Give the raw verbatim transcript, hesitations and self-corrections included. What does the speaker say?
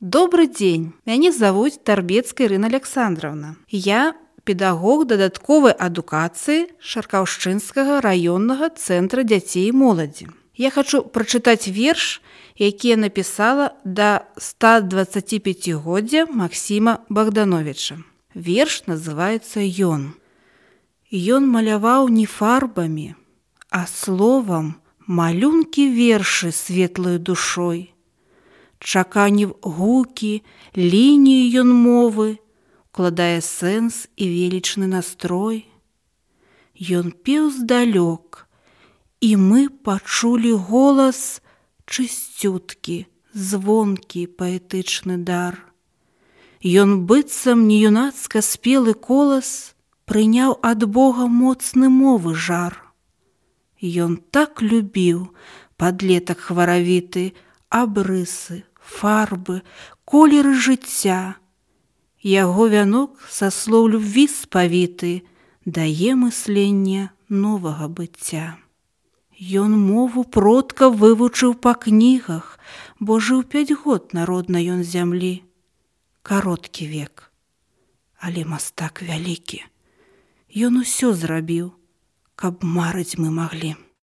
Добрый дзень, мяне завуць Тарбецкая Ірына Александровна. Я педагог дадатковай адукацыі Шаркаўшчынскага раённага цэнтра дзяцей і моладзі. Я хачу прачытаць верш, які я напісала да стадваццаціпяцігоддзя Максіма Богдановича. Верш называецца «Ён». Ён маляваў не фарбамі, а словам малюнкі вершы светлаю душой. Чаканіў гукі, лінію ён мовы, укладае сэнс і велічны настрой. Ён пеў здалёк, і мы пачулі голас чысцюткі, звонкі паэтычны дар. Ён быццам неюнацка спелы колас прыняў ад Бога моцны мовы жар. Ён так любіў, падлетак хваравіты, абрысы, фарбы, колеры жыцця. Яго вянок са слоў любві спавіты дае мысленне новага быцця. Ён мову продка вывучыў па кнігах, бо жыў пяць год народна ён зямлі. Кароткі век, але мастак вялікі. Ён усё зрабіў, каб марыць мы маглі.